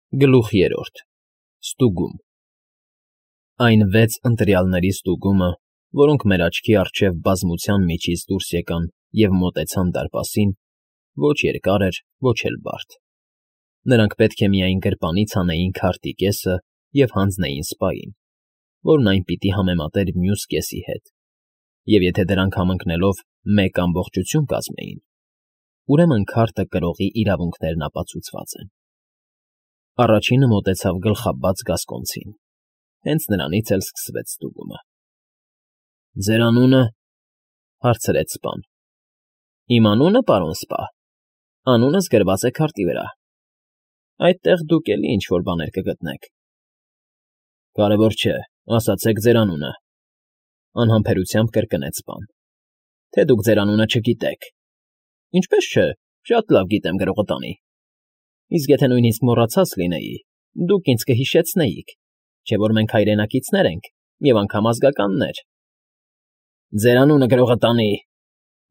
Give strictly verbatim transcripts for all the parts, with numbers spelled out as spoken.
Գլուխ երրորդ Ստուգում Այն վեց ընտրյալների ստուգումը, որոնք մեր աչքի առջև բազմության միջից դուրս եկան և մոտեցան դարպասին, ոչ երկար էր, ոչ էլ բարդ. նրանք պետք է միայն գրպանից հանեին քարտի կեսը և հանձնեին սպային, որն այն պիտի համեմատեր մյուս կեսի հետ, և եթե դրանք համընկնելով մեկ ամբողջություն կազմեին, ուրեմն քարտը կրողի իրավունքներն ապացուցված են։ Առաջինը մոտեցավ գլխաբաց Գասկոնցին, հենց նրանից էլ սկսվեց ստուգումը։ ֊ Ձեր անունը,֊ հարցրեց սպան։ ֊ Իմ անունը, պարոն սպա, անունս գրված է քարտի վրա, այդտեղ դուք էլի ինչ֊որ բաներ կգտնեք։ ֊ Կարևոր չէ, ասացեք ձեր անունը,֊ անհամբերությամբ կրկնեց սպան,֊ թե դուք ձեր անունը չգիտեք։ ֊ Ինչպես չէ, շատ լավ գիտեմ գրողը տանի։ Իսկ եթե նույնիսկ մոռացած լինեի, դուք ինձ կհիշեցնեիք, չէ՞ որ մենք հայրենակիցներ ենք և անգամ ազգականներ։ ֊ Ձեր անունը գրողը տանի։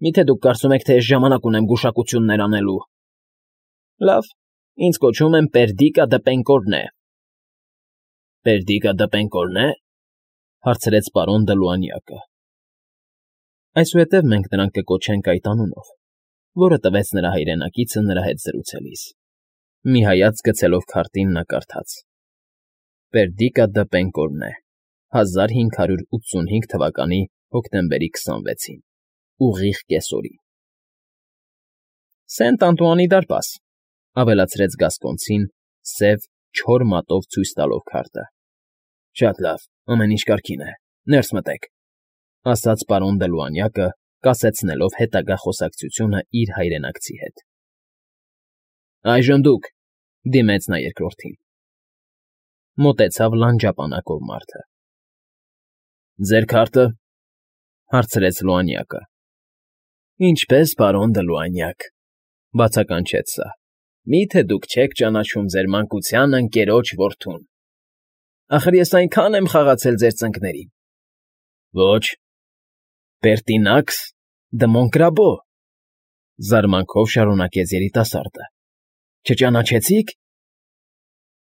Մի՞թե դուք կարծում եք, թե ես ժամանակ ունեմ գուշակություններ անելու։ ֊ Լավ, ինձ կոչում են Պերդիկա դը Պենկորնե։ ֊ Պերդիկա դը Պենկորնե՞, հարցրեց պարոն Դլուանյակը։ Այսուհետև մենք նրան կկոչենք այդ անունով, որը տվեց նրա հայրենակիցը նրա հետ զրուցելիս։ Մի հայացք գցելով քարտին նա կարդաց. Պերդիկա դը Պենկորնե, հազար հինգ հարյուր ութսունհինգ թվականի հոկտեմբերի քսանվեցին, ուղիղ կեսօրին։ Սենտ Անտուանի դարպաս,֊ ավելացրեց Գասկոնցին, սև, չոր մատով ցույց տալով քարտը։ ֊ Շատ լավ, ամեն ինչ կարգին է, ներս մտեք,֊ ասաց պարոն Դլուանյակը, կասեցնելով հետագա խոսակցությունը իր հայրենակցի հետ։ ֊ Այժմ դուք,֊ դիմեց նա երկրորդին։ Մոտեցավ լանջապանակով մարդը։ ֊ Ձեր քարտը,֊ հարցրեց Լուանյակը։ ֊ Ինչպես, պարոն Դլուանյակ,֊ բացականչեց սա,֊ մի՞թե դուք չեք ճանաչում ձեր մանկության ընկերոջ որդուն։ Ախր ես այնքան եմ խաղացել ձեր ծնկներին։ ֊ Ոչ։ ֊ Պերտինաքս դը Մոնկրաբո,֊ զարմանքով շարունակեց երիտասարդը։ ֊ Չճանաչեցի՞ք։ ֊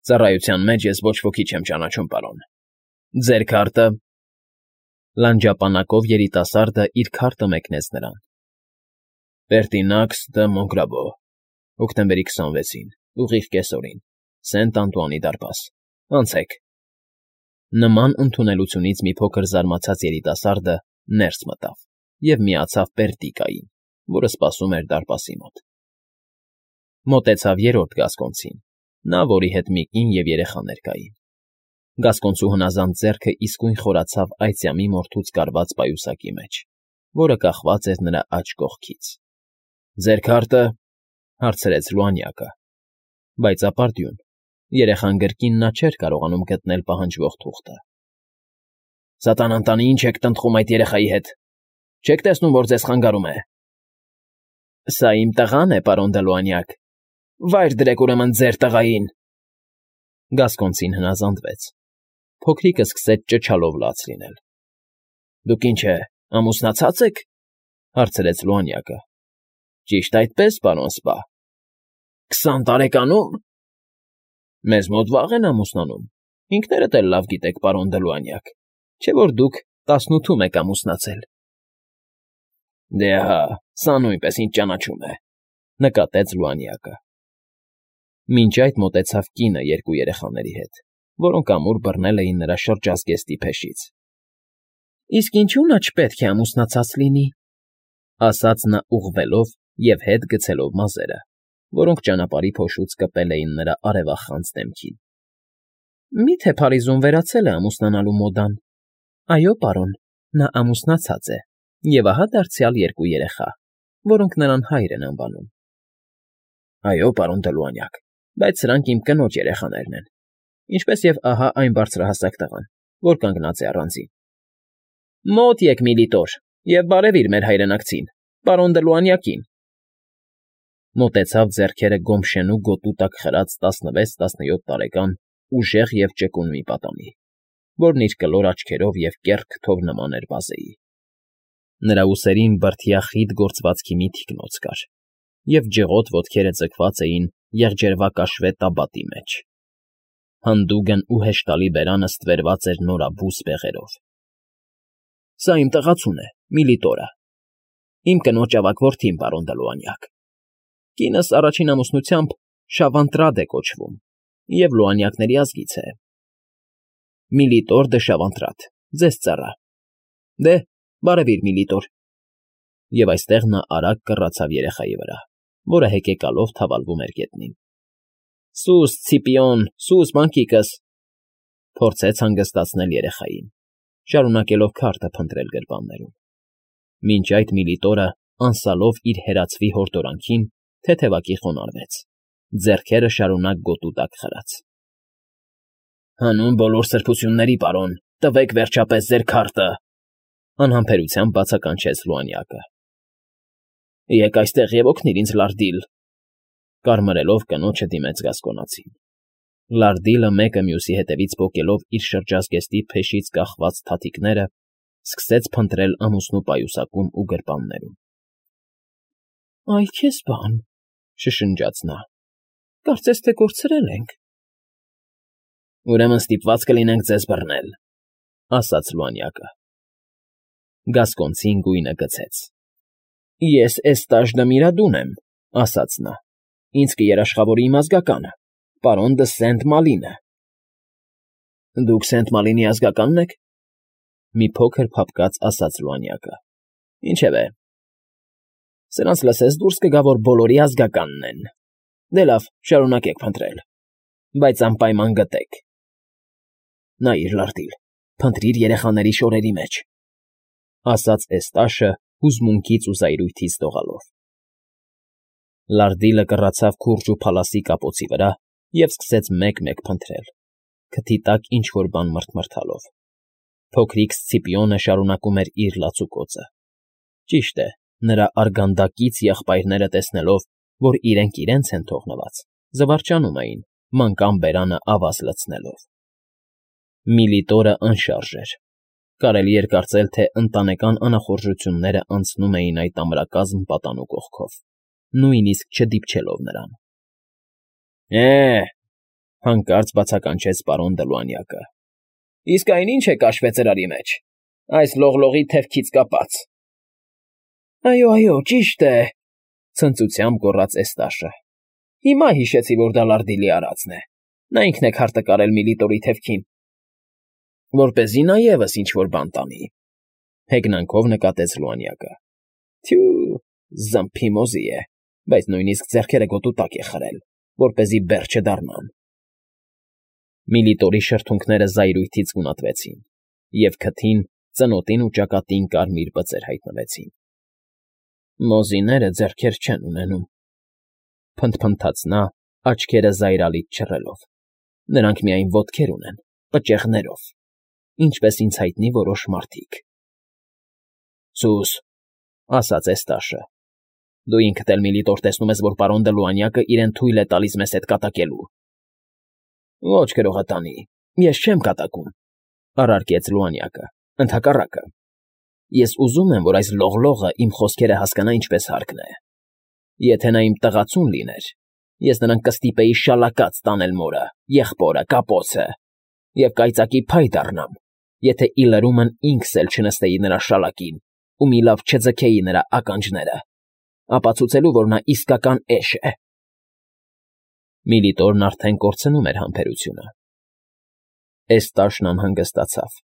Ծառայության մեջ ես ոչ ոքի չեմ ճանաչում, պարոն։ Ձեր քարտը… Լանջապանակով երիտասարդը իր քարտը մեկնեց նրան։ Պերտինաքս դը Մոնկրաբո, հոկտեմբերի քսանվեցին, ուղիղ կեսօրին, Սենտ Անտուանի դարպաս, անցեք։ Նման ընդունելությունից մի փոքր զարմացած երիտասարդը ներս մտավ և միացավ Պերդիկային, որը սպասում էր դարպասի մոտ։ Մոտեցավ երրորդ Գասկոնցին, նա, որի հետ մի կին և երեխաներ կային։ Գասկոնցու հնազանդ ձեռքը իսկույն խորացավ այծյամի մորթուց կարված պայուսակի մեջ, որը կախված էր նրա աջ կողքից։ ֊ Ձեր քարտը,֊ հարցրեց Լուանյակը, բայց ապարդյուն, երեխան գրկին նա չէր կարողանում գտնել պահանջվող թուղթը։ ֊ Սատանան տանի, ինչ եք տնտղում այդ երեխայի հետ, չեք տեսնում, որ ձեզ խանգարում է։ ֊ Սա իմ տղան է, պարոն Դլուանյակ, վայր դրեք ուրեմն ձեր տղային։ Գասկոնցին հնազանդվեց։ Փոքրիկը սկսեց ճչալով լաց լինել։ ֊ Դուք ինչ է, ամուսնացած եք,֊ հարցրեց Լուանյակը։ ֊ Ճիշտ այդպես, պարոն սպա։ ֊ Քսան տարեկանում։ ֊ Մեզ մոտ վաղ են ամուսնանում, ինքներդ էլ լավ գիտեք, պարոն Դլուանյակ, չէ՞ որ դուք տասնութում եք ամուսնացել։ ֊ Դե հա, սա նույնպես ինձ ճանաչում է,֊ նկատեց Լուանյակը։ Մինչ այդ մոտեցավ կինը երկու երեխաների հետ, որոնք ամուր բռնել էին նրա շրջազգեստի փեշից։ ֊ Իսկ ինչու նա չպետք է ամուսնացած լինի,֊ ասաց նա ուղղվելով և հետ գցելով մազերը, որոնք ճանապարհի փոշուց կպել էին նրա արևախանձ դեմքին։ ֊ Մի՞թե Փարիզում վերացել է ամուսնանալու մոդան։ Այո, պարոն, նա ամուսնացած է և ահա դարձյալ երկու երեխա, որոնք նրան հայր են անվանում։ ֊ Այո, պարոն Դլուանյակ, բայց սրանք իմ կնոջ երեխաներն են, ինչպես և ահա այն բարձրահասակ տղան, որ կանգնած է առանձին։ ֊ Մոտ եկ, Միլիտոր, և բարևիր մեր հայրենակցին, պարոն Դլուանյակին։ Մոտեցավ ձեռքերը գոմշենու գոտու տակ խրած տասնվեց֊տասնյոթ տարեկան ուժեղ և ճկուն մի պատանի, որն իր կլոր աչքերով և կեռ քթով նման էր վազեի։ Նրա ուսերին բրդյա խիտ գործվածքի մի թիկնոց կար, և ջղոտ ոտքերը ձգված էին եղջերվակաշվե տաբատի մեջ։ Հանդուգն ու հեշտալի բերանը ստվերված էր նորաբու սպեղերով։ Սա իմ տղացուն է, Միլիտորը, իմ կնոջ ավագ որդին, պարոն Դլուանյակ։ Կինս առաջին ամուսնությամբ Շավանտրադ է կոչվում և Լուանյակների ազգից է։ Միլիտոր դը Շավանտրադ, ձեզ ծառա։ Դե, բարևիր, Միլիտոր։ Եվ այստեղ նա արագ կռացավ երեխայի վրա, որը հեկեկալով թավալվում էր գետնին։ Սուս, Ցիպիոն, սուս, մանկիկս, փորձեց հանգստացնել երեխային, շարունակելով քարտը փնտրել գրպաններում։ Մինչ այդ Միլիտորը, անսալով իր հերացվի հորդորանքին, թեթևակի խոնարհվեց, ձեռքերը շարունակ գոտու տակ խրած։ Հանուն բոլոր սրբությունների, պարոն, տվեք վերջապես ձեր քարտը, անհամբերությամբ բացականչեց Լուանյակը։ Եկ այստեղ և օգնիր ինձ, Լարդիլ, կարմրելով կնոջը դիմեց Գասկոնացին։ Լարդիլը մեկը մյուսի հետևից պոկելով իր շրջազգեստի փեշից կախված թաթիկները, սկսեց փնտրել ամուսնու պայուսակում ու գրպաններում։ Այ քեզ բան, շշնջաց նա, կարծես թե կորցրել ենք։ Ուրեմն ստիպված կլինենք ձեզ բռնել, ասաց Լուանյակը։ Գասկոնցին գույնը գցեց։ Ես Էստաժ դը Միրադուն եմ, ասաց նա, ինձ կերաշխավորի իմ ազգականը, պարոն դը Սենտ Մալինը։ Դուք Սենտ Մալինի ազգականն եք, մի փոքր փափկած ասաց Լուանյակը։ Ինչևէ, սրանց լսես դուրս կգա, որ բոլորի ազգականն են։ Դե լավ, շարունակեք փնտրել, բայց անպայման գտեք։ Նայիր, Լարդիլ, փնտրիր երեխաների շորերի մեջ, ասաց Էստաշը հուզմունքից ու զայրույթից դողալով։ Լարդիլը կռացավ քուրջ ու փալասի կապոցի վրա և սկսեց մեկ֊մեկ փնտրել, քթի տակ ինչ֊որ բան մռթմռթալով։ Փոքրիկ Սցիպիոնը շարունակում էր իր լացուկոցը։ Ճիշտ է, նրա արգանդակից եղբայրները տեսնելով, որ իրենք իրենց են թողնված, զվարճանում էին, մանկան բերանը ավազ լցնելով։ Միլիտորը անշարժ էր։ Կարելի էր կարծել, թե ընտանեկան անախորժությունները անցնում էին այդ ամրակազմ պատանու կողքով, նույնիսկ չդիպչելով նրան։ Է՜, հանկարծ բացականչեց պարոն Դլուանյակը։ Իսկ այն ի՞նչ է կաշվե ծրարի մեջ, այս լողլողի թևքից կապած։ Այո, այո, ճիշտ է, ցնծությամբ գոռաց Էստաշը։ Հիմա հիշեցի, որ դա Լարդիլի արածն է։ Նա ինքն է քարտը կարել Միլիտորի թևքին։ Որպեսզի նա ևս ինչ֊որ բան տանի, հեգնանքով նկատեց Լուանյակը։ Թյու, զմփի մոզի է, բայց նույնիսկ ձեռքերը գոտու տակ է խրել, որպեսզի բեռ չդառնան։ Միլիտորի շրթունքները զայրույթից գունատվեցին, և քթին, ծնոտին ու ճակատին կարմիր բծեր հայտնվեցին։ Մոզիները ձեռքեր չեն ունենում, փնթփնթաց նա, աչքերը զայրալից չռելով։ Նրանք միայն ոտքեր ունեն, պճեղներով, ինչպես ինձ հայտնի որոշ մարդիկ։ Սուս, ասաց Էստաշը, դու ինքդ էլ Միլիտոր տեսնում ես, որ պարոն Դլուանյակը իրեն թույլ է տալիս մեզ հետ կատակելու։ Ոչ գրողատանի, ես չեմ կատակում, առարկեց Լուանյակը, ընդհակառակը։ Ես ուզում եմ, որ այս լողլողը իմ խոսքերը հասկանա ինչպես հարկն է։ Եթե նա իմ տղացուն լիներ, ես նրան կստիպեի շալակած տանել մորը, եղբորը, կապոցը, և կայծակի փայ դառնամ, եթե ի լրումն ինքս էլ չնստեի նրա շալակին ու մի լավ չձգեի նրա ականջները, ապացուցելու, որ նա իսկական էշ է։ Միլիտորն արդեն կորցնում էր համբերությունը։ Էստաշն անհանգստացավ,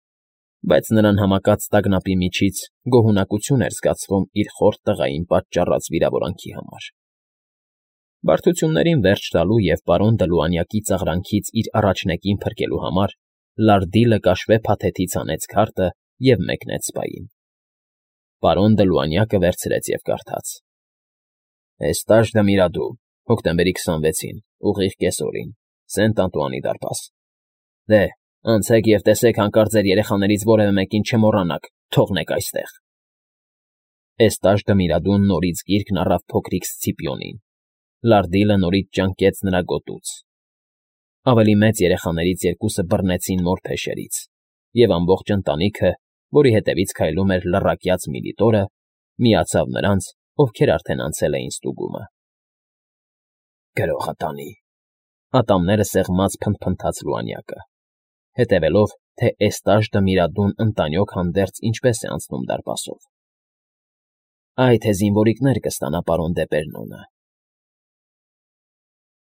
բայց նրան համակած տագնապի միջից գոհունակություն էր զգացվում իր խորթ տղային պատճառած վիրավորանքի համար։ Բարդություններին վերջ տալու և պարոն Դլուանյակի ծաղրանքից իր առաջնեկին փրկելու համար Լարդիլը կաշվե փաթեթից հանեց քարտը և մեկնեց սպային։ Պարոն Դլուանյակը վերցրեց և կարդաց. Էստաժ դը Միրադու, հոկտեմբերի քսանվեցին, ուղիղ կեսօրին, Սենտ Անտուանի դարպաս։ Դե, անցեք և տեսեք հանկարծ ձեր երեխաներից որևէ մեկին չմոռանաք, թողնեք այստեղ։ Էստաժ դը Միրադուն նորից գիրկն առավ փոքրիկ Սցիպիոնին։ Լարդիլը նորից ճանկեց նրա գոտուց։ Ավելի մեծ երեխաներից երկուսը բռնեցին մոր փեշերից, և ամբողջ ընտանիքը, որի հետևից քայլում էր լռակյաց Միլիտորը, միացավ նրանց, ովքեր արդեն անցել էին ստուգումը։ Գրողատանի, Ատամները սեղմած փնթփնթաց լուանյակը, հետևելով, թե էստաժ դմիրադուն ընտանյոք հանդերձ ինչպես է անցնում դարպասով։ ֊ Այ թե զինվորիկներ կստանա պարոն դեպերնոնը։